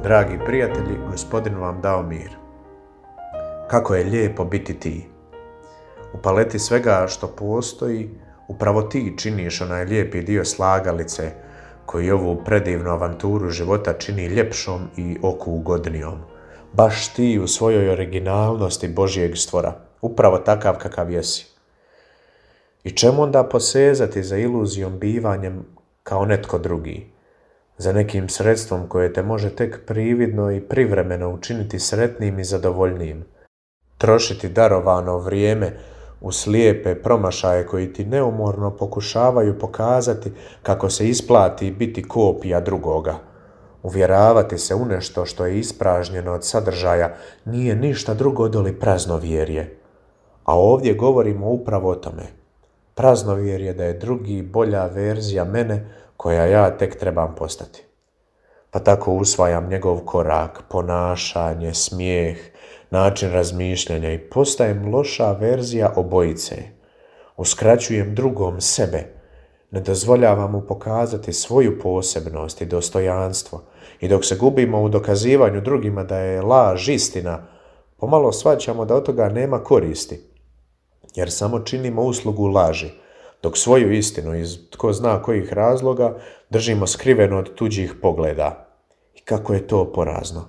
Dragi prijatelji, Gospodin vam dao mir. Kako je lijepo biti ti. U paleti svega što postoji, upravo ti činiš onaj lijepi dio slagalice koji ovu predivnu avanturu života čini ljepšom i oku ugodnijom. Baš ti u svojoj originalnosti Božjeg stvora, upravo takav kakav jesi. I čemu onda posezati za iluzijom bivanjem kao netko drugi? Za nekim sredstvom koje te može tek prividno i privremeno učiniti sretnim i zadovoljnijim. Trošiti darovano vrijeme u slijepe promašaje koji ti neumorno pokušavaju pokazati kako se isplati biti kopija drugoga. Uvjeravati se u nešto što je ispražnjeno od sadržaja nije ništa drugo doli praznovjerje. A ovdje govorimo upravo o tome. Praznovjerje da je drugi bolja verzija mene koja ja tek trebam postati. Pa tako usvajam njegov korak, ponašanje, smijeh, način razmišljanja i postajem loša verzija obojice. Uskraćujem drugom sebe, ne dozvoljavam mu pokazati svoju posebnost i dostojanstvo i dok se gubimo u dokazivanju drugima da je laž istina, pomalo shvaćamo da od toga nema koristi, jer samo činimo uslugu laži, dok svoju istinu iz tko zna kojih razloga držimo skriveno od tuđih pogleda. I kako je to porazno.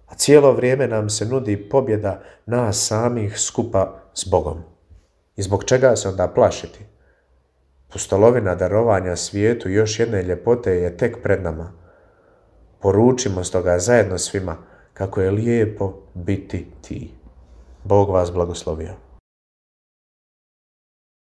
A cijelo vrijeme nam se nudi pobjeda nas samih skupa s Bogom. I zbog čega se onda plašiti? Pustolovina darovanja svijetu još jedne ljepote je tek pred nama. Poručimo stoga zajedno svima kako je lijepo biti ti. Bog vas blagoslovio.